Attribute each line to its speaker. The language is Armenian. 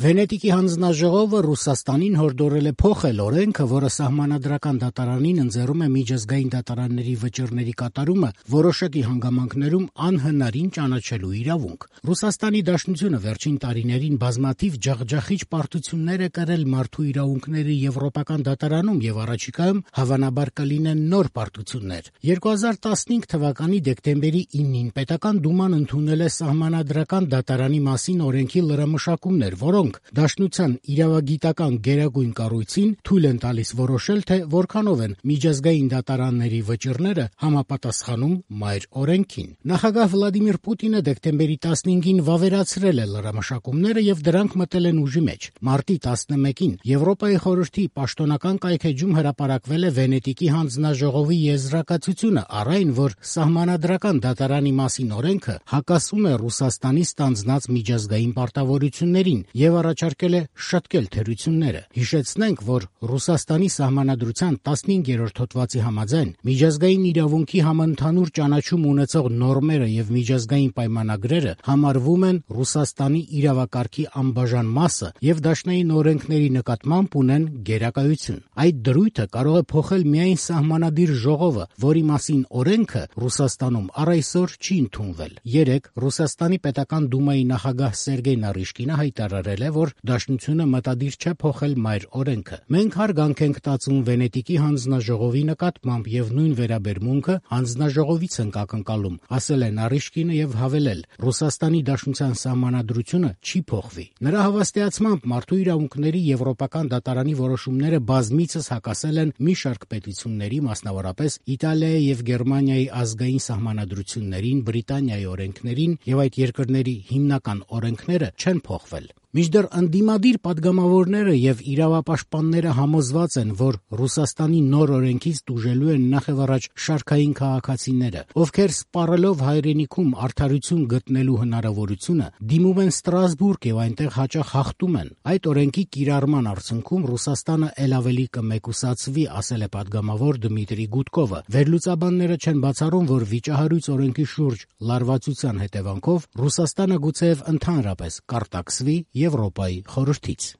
Speaker 1: Վենետիկի հանձնաժողովը Ռուսաստանին հորդորել է փոխել օրենքը, որը սահմանադրական դատարանին ընձեռում է միջազգային դատարանների վճիռների կատարումը որոշակի հանգամանքներում անհնարին ճանաչելու իրավունք։ Ռուսաստանի Դաշնությունը վերջին տարիներին բազմաթիվ ջախջախիչ պարտություններ է կրել մարդու իրավունքների եվրոպական դատարանում եւ առաջիկայում հավանաբար կլինեն նոր պարտություններ։ 2015 թվականի դեկտեմբերի 9-ին Պետական դուման ընդունել է սահմանադրական դատարանի մասին օրենքի լրամշակումներ, որոնք Դաշնության իրավագիտական գերագույն կառույցին թույլ են տալիս որոշել, թե որքանով են միջազգային դատարանների վճիռները համապատասխանում մայր օրենքին։ Նախագահ Վլադիմիր Պուտինը դեկտեմբերի 15-ին վավերացրել է լրամշակումները եւ դրանք մտել են ուժի մեջ։ Մարտի 11-ին Եվրոպայի խորհրդի պաշտոնական կայքէջում հրապարակվել է Վենետիկի հանձնաժողովի եզրակացությունը առ այն, որ սահմանադրական դատարանի մասին օրենքը հակասում է Ռուսաստանի ստանձնած միջազգային պարտավորություններին եւ առաջարկել է շտկել թերությունները։ Հիշեցնենք, որ Ռուսաստանի սահմանադրության 15-րդ հոդվածի համաձայն միջազգային իրավունքի համընդհանուր ճանաչում ունեցող նորմերը եւ միջազգային պայմանագրերը համարվում են Ռուսաստանի իրավակարգի անբաժան մասը եւ դաշնային օրենքների նկատմամբ ունեն գերակայություն։ Այդ դրույթը կարող է փոխել միայն սահմանադիր ժողովը, որի մասին օրենքը Ռուսաստանում առ այսօր չի ընդունվել։ Երեկ Ռուսաստանի Պետական դումայի նախագահ Սերգեյ Նարիշկինը հայտարարել է, որ Դաշնությունը մտադիր չէ փոխել մայր օրենքը։ Մենք հարգանք ենք տածում Վենետիկի հանձնաժողովի նկատմամբ եւ նույն վերաբերմունքը հանձնաժողովից ենք ակնկալում, ասել է Նարիշկինը եւ հավելել. Ռուսաստանի Դաշնության սահմանադրությունը չի փոխվի։ Նրա հավաստիացմամբ մարդու իրավունքների եվրոպական դատարանի որոշումները բազմիցս հակասել են մի շարք պետությունների, մասնավորապես Իտալիայի եւ Գերմանիայի ազգային սահմանադրություններին, Բրիտանիայի օրենքներին եւ այդ երկրների հիմնական օրենքները չեն փոխվել։ Մինչդեռ ընդդիմադիր падգամավորները եւ իրավապաշտպանները համոզված են, որ Ռուսաստանի նոր օրենքից տուժելու են նախևառաջ շարքային քաղաքացիները, ովքեր սպառելով հայրենիքում արդարություն գտնելու հնարավորությունը դիմում են Ստրասբուրգ եւ այնտեղ հաճախ հաղթում են։ Այդ օրենքի կիրառման արդյունքում Ռուսաստանը ել ավելի կմեկուսացվի, ասել է падգամավոր Դմիտրի Գուդկովը։ Վերլուծաբանները չեն բացառում, որ վիճահարույց օրենքի շուրջ լարվածության հետևանքով Ռուսաստանը գուցեև ընդհանրապես կարտաքսվի Եվրոպայի խորհրդից։